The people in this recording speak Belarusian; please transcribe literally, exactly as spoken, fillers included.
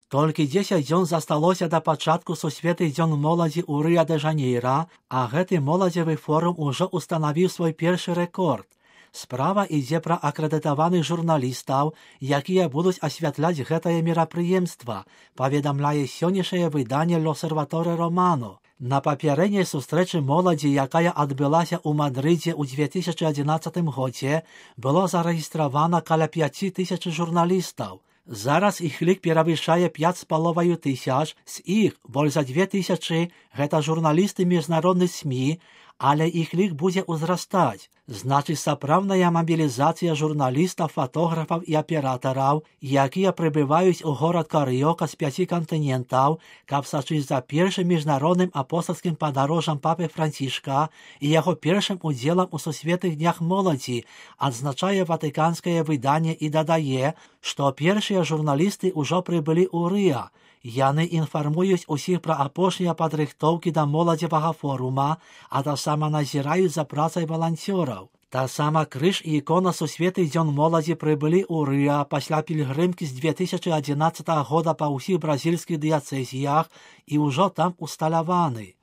Толькі дзесяць дзён засталося да пачатку сусветных дзён моладзі ў Рыа-дэ-Жанейра, а гэты моладзевы форум ужо устанавіў свой першы рэкорд. Справа ідзе пра акрэдытаваных журналістаў, якія будуць асвятляць гэтае мерапрыемства, паведамляе сённяшняе выданне «L'Osservatore Romano». На папярэдняй сустрэчы моладзі, якая адбылася ў Мадрыдзе ў две тысячы адзінаццатым годзе, было зарэгістравана каля пяці тысяч журналістаў. Зараз іх лік перавышае пяць з паловаю тысяч, з іх больш за дзве тысячы гэта журналісты міжнародных СМІ, але іх лік будзе ўзрастаць. Значыць, сапраўдная мабілізацыя журналістаў, фатографаў і аператараў, якія прыбываюць у горад Карыёка з пяці кантынентаў, каб сачыць за першым міжнародным апостальскім падарожжам папы Францішка і яго першым удзелам у сусветных днях моладзі, адзначае ватыканскае выданне і дадае, што першыя журналісты ўжо прыбылі ў Рыа. Яны інфармуюць усіх пра апошнія падрыхтоўкі да моладзевага форума, а таксама назіраюць за працай валанцёраў. Таксама крыж і ікона сусветных дзён моладзі прыбылі ў Рыа пасля пільгрымкі з две тысячы адзінаццатага года па ўсіх бразільскіх дыяцэзіях і ўжо там усталяваны.